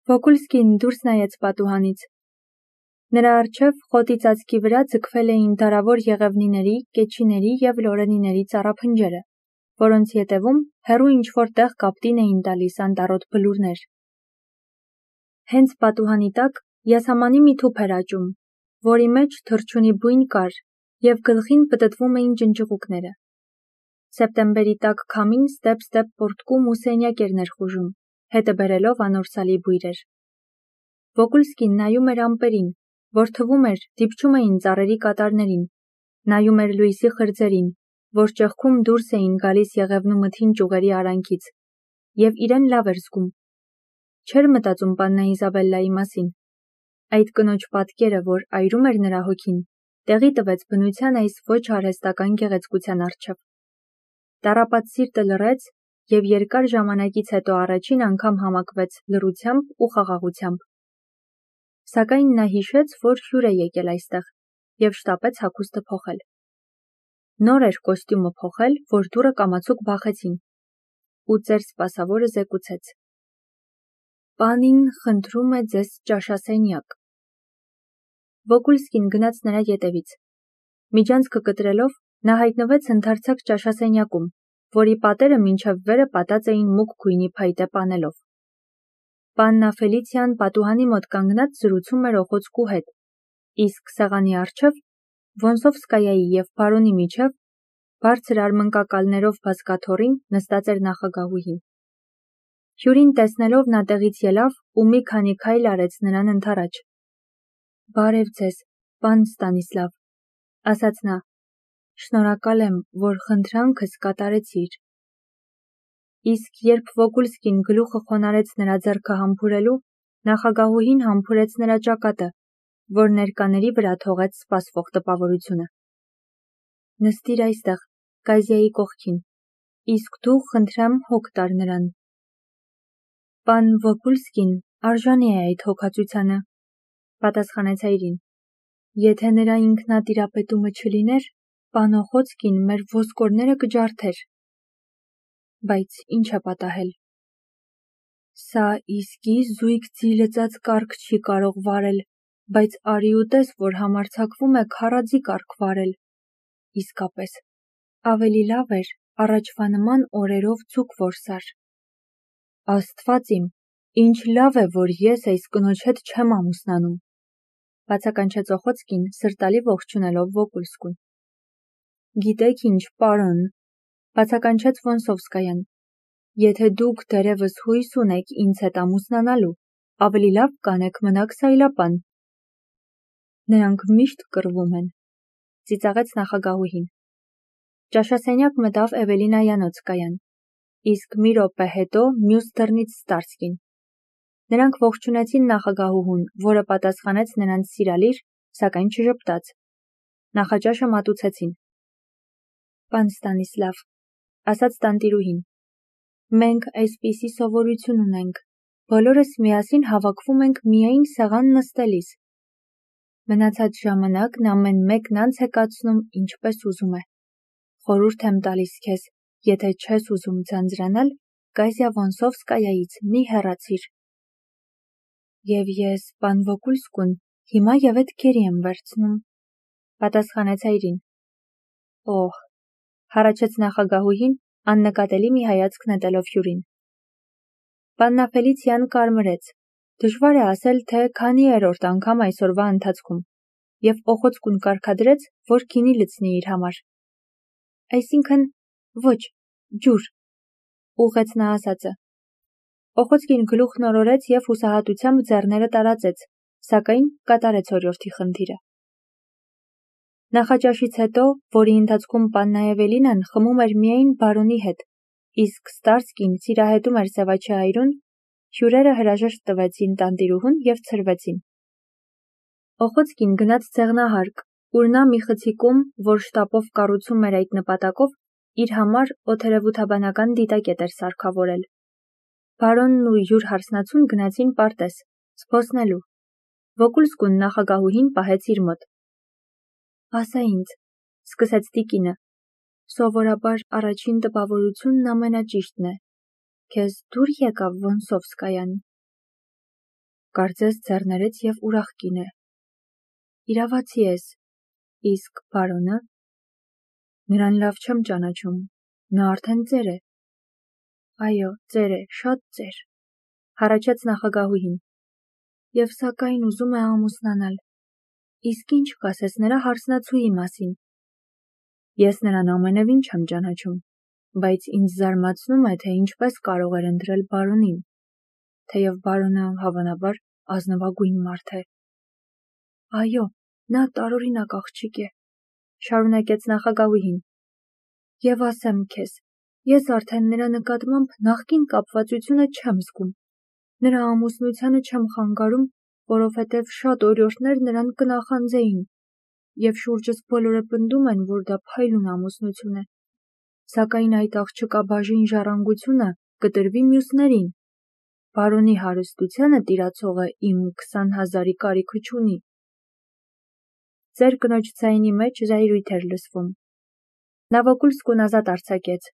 Վոկուլսկին դուրս նայեց պատուհանից։ Նրա առջև խոտի ծածկի վրա ձգվել էին դարավոր եղևնիների, կեչիների և լորենիների ծառափնջերը, որոնց ետևում հեռու ինչ-որ տեղ կապտին էին տալիս անտառոտ բլուրներ։ Հենց պատուհանի տակ յասամանի մի թուփ էր աճում, որի մեջ թռչունի բույն կար, և գլխին պտտվում էին ջնջղուկները։ Սեպտեմբերի տաք քամին ստեպ-ստեպ պոռթկում ու սենյակ էր ներխուժում, հետը բերելով անորսալի բույրեր։ Վոկուլսկին նայում էր ամպերին, որ թվում էր դիպչում էին ծառերի կատարներին, նայում էր լույսի խրձերին, որ ճեղքում դուրս էին գալիս եղևնու մթին ճյուղերի արանքից, և իրեն լավ էր զգում։ Չէր մտածում պաննա Իզաբելլայի մասին։ Այդ կնոջ պատկերը, որ այրում էր նրա հոգին, տեղի տվեց բնության այս ոչ արհեստական գեղեցկության առջև։ Տառապած սիրտը լռեց և երկար ժամանակից հետո առաջին անգամ համակվեց լռությամբ ու խաղաղությամբ։ Սակայն նա հիշեց, որ հյուր է եկել այստեղ, և շտապեց հագուստը փոխել։ Նոր էր կոստյումը փոխել, որ դուռը կամացուկ բախեցին, ու ծեր սպասավորը զեկուցեց. «Պանին խնդրում է ձեզ ճաշասենյակ»։ Վոկուլսկին գնաց նրա ետևից։ Միջանցքը կտրելով, նա հայտնվեց ընդարձակ ճաշասենյակում, որի պատերը մինչև վերը պատած էին մուգ գույնի փայտե պանելով։ Պաննա Ֆելիցիան պատուհանի մոտ կանգնած զրուցում էր օխոցկու հետ, իսկ սեղանի առջև, Վոնսովսկայայի և բարոնի միջև, բարձր արմնկակալներով բազկաթոռին նստած էր նախագահուհին։ Հյուրին տեսնելով նա տեղից ելավ ու մի քանի քայլ արեց նրան ընդառաջ։ «Բարև ձեզ, պան Ստանիսլավ», ասաց նա, «շնորհակալ եմ, որ խնդրանքս կատարեցիր»։ Իսկ երբ Վոկուլսկին գլուխը խոնարհեց նրա ձեռքը համբուրելու, նախագահուհին համբուրեց նրա ճակատը, որ ներկաների վրա թողեց սպասվող տպավորությունը։ «Նստիր այստեղ, Կայզիայի կողքին, իսկ դու խնդրեմ հոգ տար նրան»։ «Պան Վոկուլսկին արժանի է այդ հոգածությանը», պատասխանեց այրին։ «Եթե նրա ինքնատիրապետումը չլիներ, պան Օխոցկին մեր ոսկորները կջարդեր»։ Բայց ինչ է պատահել։ Սա իսկի զույգ ձիլծած կառք չի կարող վարել, բայց արի ու տես, որ համարձակվում է քառաձի կառք վարել։ Իսկապես, ավելի լավ էր առաջվա նման օրերով ձուկ որսար։ Աստված իմ, ինչ լավ է, որ ես այս կնոջ հետ չեմ ամուսնանում, բացականչեց Օխոցկին, սրտալի ողջունելով Վոկուլսկուն։ Գիտեք ինչ, պարոն, բացականչեց Վոնսովսկայան, եթե դուք դեռևս հույս ունեք ինձ հետ ամուսնանալու, ավելի լավ կանեք մնաք սայլապան։ Նրանք միշտ կռվում են, ծիծաղեց նախագահուհին։ Ճաշասենյակ մտավ Էվելինայանոցկայան, իսկ մի րոպե հետո մյուս դռնից Ստարսկին։ Նրանք ողջունեցին նախագահուհուն, որը պատասխանեց նրանց սիրալիր, սակայն չժպտաց։ Նախաճաշը մատուցեցին։ Պան Ստանիսլավ, ասաց տանտիրուհին, մենք այսպիսի սովորություն ունենք, բոլորս միասին հավաքվում ենք միայն սեղան նստելիս։ Մնացած ժամանակն ամեն մեկն անց է կացնում ինչպես ուզում է։ Խորհուրդ եմ տալիս քեզ, եթե չես ուզում ձանձրանալ, Կայզիա Վոնսովսկայայից մի հեռացիր։ Եվ ես, պան Վոկուլսկուն, հիմա ևեթ քերի եմ վերցնում, պատասխանեց այրին։ Օհ, հառաչեց նախագահուհին, աննկատելի մի հայացք նետելով հյուրին։ Պաննա Ֆելիցիան կարմրեց, դժվար է ասել, թե քանի երրորդ անգամ այսօրվա ընթացքում, և Օխոցկուն կարգադրեց, որ գինի լցնի իր համար։ Այսինքն, ոչ, ջուր, ուղղեց նա ասածը։ Օխոցկին գլուխն օրորեց և հուսահատությամբ ձեռները տարածեց, սակայն կատարեց օրիորդի խնդիրը։ Նախաճաշից հետո, որի ընթացքում պաննա Էվելինան խմում էր միայն բարոնի հետ, իսկ Ստարսկին սիրահետում էր սևաչե այրուն, հյուրերը հրաժեշտ տվեցին տանտիրուհուն և ցրվեցին։ Օխոցկին գնաց ձեղնահարկ, ուր նա մի խցիկում, որ շտապով կառուցում էր այդ նպատակով, իր համար օդերևութաբանական դիտակետ էր սարքավորել։ Բարոնն ու յուր հարսնացուն գնացին պարտեզ, զբոսնելու։ Վոկուլսկուն նախագահուհին պահեց իր մոտ։ Ասա ինձ, սկսեց տիկինը, սովորաբար առաջին տպավորությունն ամենաճիշտն է։ Քեզ դուր եկավ Վոնսովսկայան։ կարծես ձեռներեց և ուրախ կին է։ Իրավացի ես, իսկ բարոնը։ Նրան լավ չեմ ճանաչում, նա արդեն ծեր է։ Այո, ծեր է, շատ ծեր, հառաչեց նախագահուհին։ Եվ սակայն ուզում է ամուսնանալ։ Իսկ ինչ կասես նրա հարսնացուի մասին։ Ես նրան ամենևին չեմ ճանաչում, բայց ինձ զարմացնում է, թե ինչպես կարող էր ընտրել բարոնին, թեև բարոնը հավանաբար ազնվագույն մարդ է։ Այո, նա տարօրինակ աղջիկ է, շարունակեց նախագահուհին։ Եվ ասեմ քեզ, ես արդեն նրա նկատմամբ նախկին կապվածությունը չեմ զգում։ Նրա ամուսնությանը չեմ խանգարում, որովհետև շատ օրիորդներ նրան կնախանձեին, և շուրջս բոլորը պնդում են, որ դա փայլուն ամուսնություն է։ Սակայն այդ աղջկա բաժին ժառանգությունը կտրվի մյուսներին։ Բարոնի հարստությանը տիրացողը իմ 20,000-ի կարիքը չունի։ Ձեր կնոջ ձայնի մեջ զայրույթ էր լսվում։ Նա Վոկուլսկուն ազատ արձակեց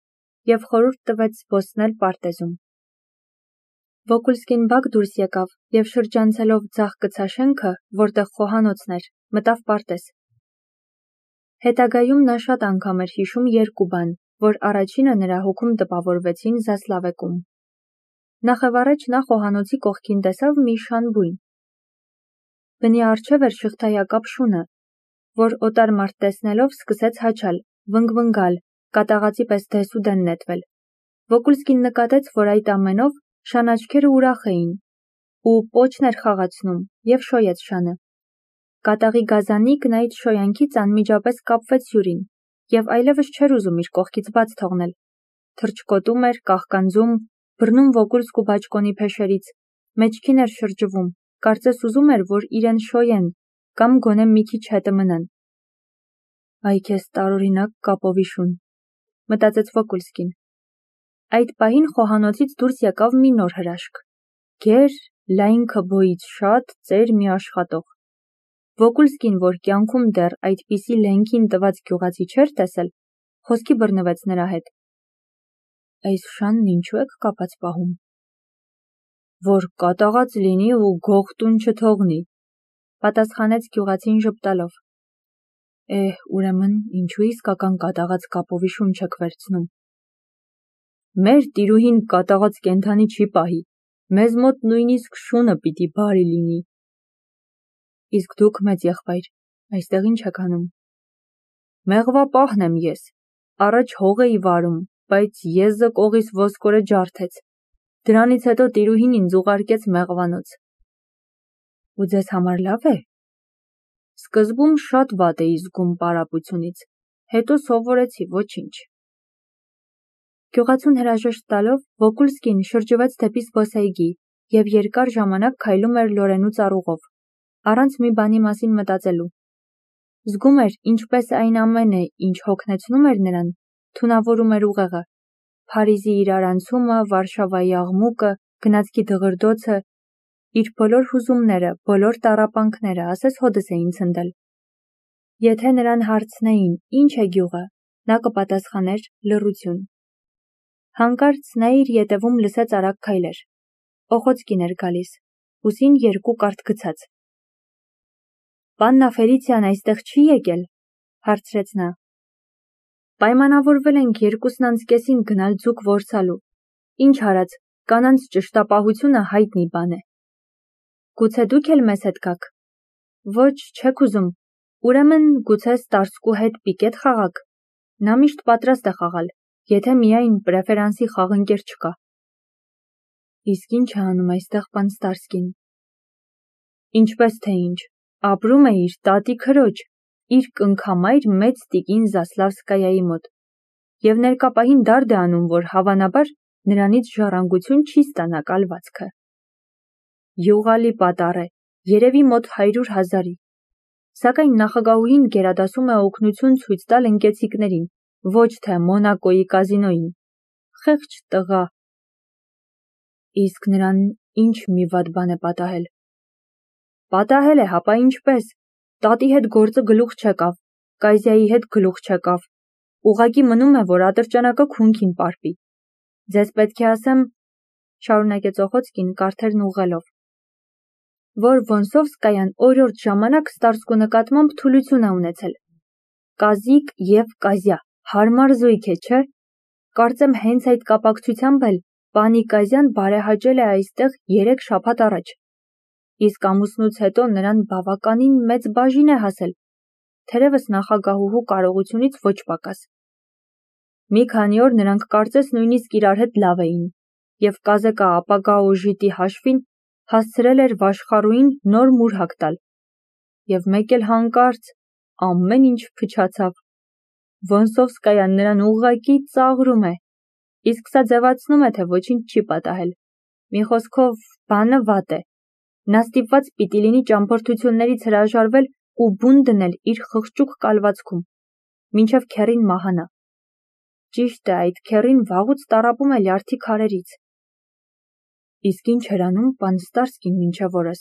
և խորհուրդ տվեց զբոսնել պարտեզում։ Վոկուլսկին բակ դուրս եկավ և շրջանցելով ձախ կցաշենքը, որտեղ խոհանոցն էր, մտավ պարտեզ։ Հետագայում նա շատ անգամ էր հիշում երկու բան, որ առաջինը նրա հոգում տպավորվեցին Զասլավեկում։ Նախևառաջ նա խոհանոցի կողքին տեսավ մի շան բույն։ Բնի առջև էր շղթայակապ շունը, որ օտար մարդ տեսնելով սկսեց հաչալ, վնգվնգալ, կատաղածի պես դեսուդեն նետվել։ Վոկուլսկին նկատեց, որ այդ ամենով շան աչքերը ուրախ էին, ու պոչն էր խաղացնում, և շոյեց շանը։ Կատաղի գազանիկն այդ շոյանքից անմիջապես կապվեց հյուրին, և այլևս չէր ուզում իր կողքից բաց թողնել։ Թռչկոտում էր, կաղկանձում, բռնում Վոկուլսկու բաճկոնի փեշերից, մեջքին էր շրջվում, կարծես ուզում էր, որ իրեն շոյեն, կամ գոնե մի քիչ հետը մնան։ Այ քեզ տարօրինակ կապովի շուն, մտածեց Վոկուլսկին։ Այդ պահին խոհանոցից դուրս եկավ մի նոր հրաշք։ Գեր, լայն քբոից շատ ծեր մի աշխատող։ Վոկուլսկին, որ կյանքում դեռ այդպիսի լենքին տված գյուղացի չէր տեսել, խոսքի բռնվեց նրա հետ։ Այս շանն ինչու եք կապած պահում։ Որ կատաղած լինի ու գողտուն չթողնի, պատասխանեց գյուղացին ժպտալով։ Ուրեմն ինչու իսկական կատաղած կապովի շուն չեք վերցնում։ Մեր տիրուհին կատաղած կենդանի չի պահի, մեզ մոտ նույնիսկ շունը պիտի բարի լինի։ Իսկ դուք, մեծ եղբայր, այստեղ ինչ եք անում։ Մեղվապահն եմ ես, առաջ հող էի վարում, բայց եզը կողիս ոսկորը ջարդեց։ Դրանից հետո տիրուհին ինձ ուղարկեց մեղվանոց։ Ու ձեզ համար լավ է։ Սկզբում շատ վատ էի զգում պարապությունից, հետո սովորեցի, ոչինչ։ Գյուղացուն հրաժեշտ տալով Վոկուլսկին շրջվեց դեպի զբոսայգի և երկար ժամանակ քայլում էր Լորենու ծառուղով, առանց մի բանի մասին մտածելու։ Զգում էր, ինչպես այն ամենը, ինչ հոգնեցնում էր նրան, թունավորում էր ուղեղը։ Փարիզի իրարանցումը, Վարշավայի աղմուկը, գնացքի դղրդոցը, իր բոլոր հուզումները, բոլոր տառապանքները, ասես հոդս էին ցնդել։ Եթե նրան հարցնեին, ինչ է գյուղը, նա կպատասխաներ լռություն։ Հանկարծ նա իր ետևում լսեց արագ քայլեր։ Օխոցկին էր գալիս, ուսին երկու կարդ գցած։ Պաննա Ֆելիցիան այստեղ չի եկել, հարցրեց նա։ Պայմանավորվել ենք 2:30-ին գնալ ձուկ որսալու։ Ինչ արած, կանանց ճշտապահությունը հայտնի բան է։ Գուցե դուք էլ մեզ հետ գաք։ Ոչ, չեք ուզում։ Ուրեմն գուցե Ստարսկու հետ պիկետ խաղաք։ Նա միշտ պատրաստ է խաղալ, եթե միայն պրեֆերանսի խաղընկեր չկա։ Իսկ ինչ է անում այստեղ պան Ստարսկին։ Ինչպես թե ինչ, ապրում է իր տատի քրոջ, իր կնքամայր մեծ տիկին Զասլավսկայայի մոտ, և ներկապահին դարդ է անում, որ հավանաբար նրանից ժառանգություն չի ստանա կալվածքը։ Յուղալի պատառ է, երևի մոտ 100,000-ի։ Սակայն նախագահուհին գերադասում է օգնություն ցույց տալ ընկեցիկներին, ոչ թե Մոնակոյի կազինոյին։ Խեղճ տղա։ Իսկ նրան ինչ մի վատ բան է պատահել։ Պատահել է, հապա ինչպես։ Տատի հետ գործը գլուխ չեկավ, Կայզիայի հետ գլուխ չեկավ։ Ուղղակի մնում է, որ ատրճանակը քունքին պարպի։ Ձեզ պետք է ասեմ, շարունակեց Օխոցկին կարթերն ուղղելով։ որ Վոնսովսկայան օրորդ ժամանակ Ստարսկու նկատմամբ թուլություն է ունեցել։ Կազիկ և Կազյա, հարմար զույգ է, չէ՞։ Կարծեմ հենց այդ կապակցությամբ էլ պանի Կազյան բարեհաճել է այստեղ 3 շաբաթ առաջ։ Իսկ ամուսնուց հետո նրան բավականին մեծ բաժին է հասել, թերևս նախագահուհու կարողությունից ոչ պակաս։ Մի քանի օր նրանք կարծես նույնիսկ իրար հետ լավ էին, և Կազեկը ապագա օժիտի հաշվին հասցրել էր Վաշխառուին նոր մուրհակ տալ։ Եվ մեկ էլ հանկարծ ամեն ինչ փչացավ։ Վոնսովսկայան նրան ուղղակի ծաղրում է, իսկ սա ձևացնում է, թե ոչինչ չի պատահել։ Մի խոսքով, բանը վատ է։ Նա ստիպված պիտի լինի ճամփորդություններից հրաժարվել ու բուն դնել իր խղճուկ կալվածքում, մինչև քեռին մահանա։ Ճիշտ է, այդ քեռին վաղուց տառապում է լյարդի քարերից։ Իսկ ինչ էր անում պան Ստարսկին մինչև օրս։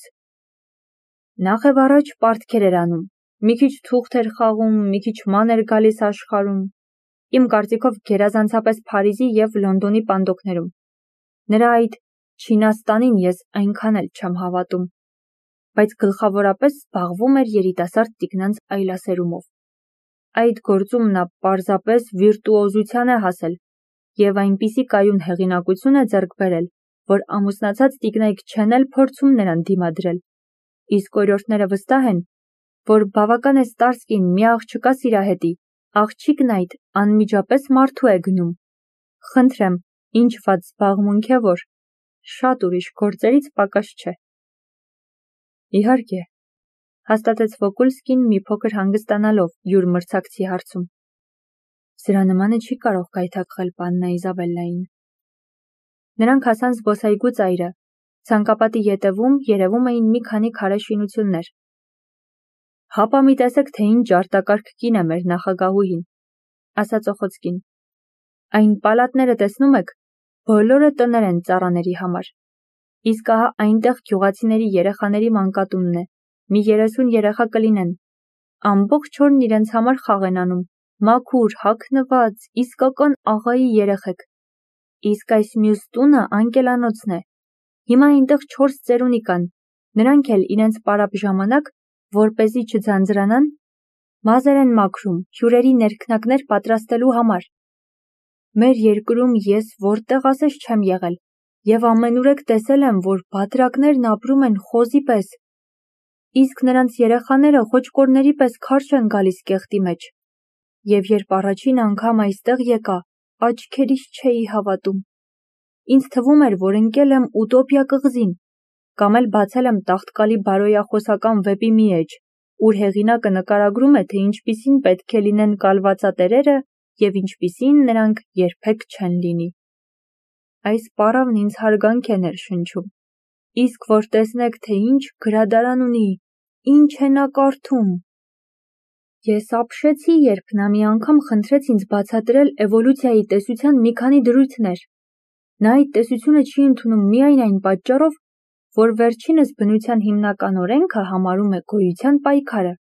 Նախև առաջ պարտքեր էր անում, մի քիչ թուղթ էր խաղում, մի քիչ ման էր գալիս աշխարհում, իմ կարծիքով գերազանցապես Փարիզի և Լոնդոնի պանդոկներում։ Նրա այդ Չինաստանին ես այնքան էլ չեմ հավատում, բայց գլխավորապես զբաղվում էր երիտասարդ տիկնանց այլասերումով։ Այդ գործում նա պարզապես վիրտուոզության է հասել և այնպիսի կայուն հեղինակություն է ձեռք բերել, որ ամուսնացած տիկնայք չեն էլ փորձում նրան դիմադրել, իսկ օրիորդները վստահ են, որ բավական է Ստարսկին մի աղջկա սիրահետի, աղջիկն այդ անմիջապես մարդու է գնում։ Խնդրեմ, ինչ վատ զբաղմունք է, որ շատ ուրիշ գործերից պակաս չէ։ Իհարկե, հաստատեց Վոկուլսկին մի փոքր հանգստանալով յուր մրցակցի հարցում։ Սրա նմանը չի կարող գայթակղել պաննա Իզաբելլային։ Նրանք հասան զբոսայգու ծայրը, ցանկապատի ետևում երևում էին մի քանի քարե շինություններ։ Հապա մի տեսեք, թե ինչ արտակարգ կին է մեր նախագահուհին, ասաց Օխոցկին։ Այն պալատները տեսնում եք, բոլորը տներ են ծառաների համար։ Իսկ ահա այնտեղ գյուղացիների երեխաների մանկատունն է, մի 30 երեխա կլինեն։ Ամբողջ օրն իրենց համար խաղ են անում, մաքուր, հագնված, իսկական աղայի երեխեք։ Իսկ այս մյուս տունը անկելանոցն է։ Հիմա այնտեղ 4 ծերունի կան, նրանք էլ իրենց պարապ ժամանակ, որպեսզի չձանձրանան, մազեր են մաքրում հյուրերի ներքնակներ պատրաստելու համար։ Մեր երկրում ես որտեղ ասես չեմ եղել, և ամենուրեք տեսել եմ, որ բատրակներն ապրում են խոզի պես, իսկ նրանց երեխաները խոճկորների պես քարշ են գալիս կեղտի մեջ։ Եվ երբ առաջին անգամ այստեղ եկա, աչքերիս չէի հավատում։ Ինձ թվում էր, որ ընկել եմ ուտոպիա կղզին, կամ էլ բացել եմ տաղտկալի բարոյախոսական վեպի մի էջ, ուր հեղինակը նկարագրում է, թե ինչպիսին պետք է լինեն կալվածատերերը և ինչպիսին նրանք երբեք չեն լինի։ Այս պառավն ինձ հարգանք է ներշնչում, իսկ որ տեսնեք, թե ինչ գրադարան ունի, ինչ է նա կարդում։ Ես ապշեցի, երբ նա մի անգամ խնդրեց ինձ բացատրել էվոլյուցիայի տեսության մի քանի դրույթներ։ Նա այդ տեսությունը չի ընդունում միայն այն պատճառով, որ վերջինս բնության հիմնական օրենքը համարում է գոյության պայքարը։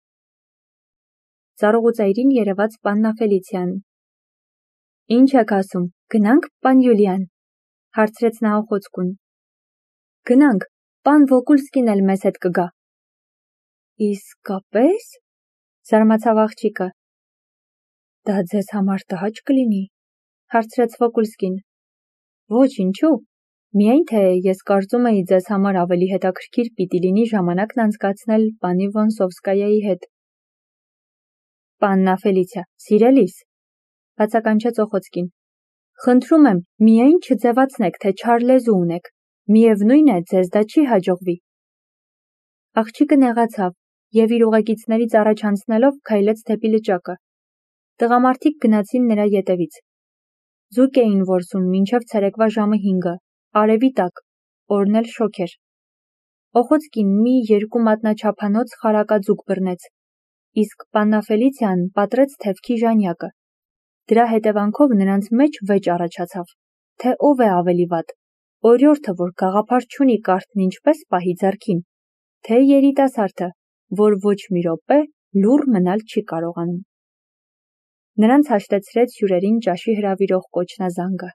Ծառուղուծայրին երևաց պաննա Ֆելիցիան։ Ինչ եք ասում, գնանք, պան Յուլիան, հարցրեց նա Օխոցկուն։ Գնանք, պան Վոկուլսկին էլ մեզ հետ կգա։ Իսկապես, զարմացավ աղջիկը։ Դա ձեզ համար տհաճ կլինի, հարցրեց Վոկուլսկին։ Ոչ, ինչու, միայն թե ես կարծում էի ձեզ համար ավելի հետաքրքիր պիտի լինի ժամանակն անցկացնել պանի Վոնսովսկայայի հետ։ Պաննա Ֆելիցիա, սիրելիս, բացականչեց Օխոցկին, խնդրում եմ, միայն չձևացնեք, թե չար լեզու ունեք, միևնույն է, ձեզ դա չի հաջողվի։ Աղջիկը նեղացավ և իր ուղեկիցներից առաջ անցնելով քայլեց դեպի լճակը։ Տղամարդիկ գնացին նրա ետևից։ Ձուկ էին որսում մինչև ցերեկվա ժամը 5-ը, արևի տակ, օրն էլ շոգ էր։ Օխոցկին մի 2 մատնաչափանոց խարակաձուկ բռնեց, իսկ պաննա Ֆելիցիան պատրեց թևքի ժանյակը։ Դրա հետևանքով նրանց մեջ վեճ առաջացավ, թե ով է ավելի վատ, օրիորդը, որ գաղափար չունի կարթն ինչպես պահի ձեռքին, թե երիտասարդը, որ ոչ մի րոպե լուռ մնալ չի կարողանում։ Նրանց հաշտեցրեց հյուրերին ճաշի հրավիրող կոչնազանգը։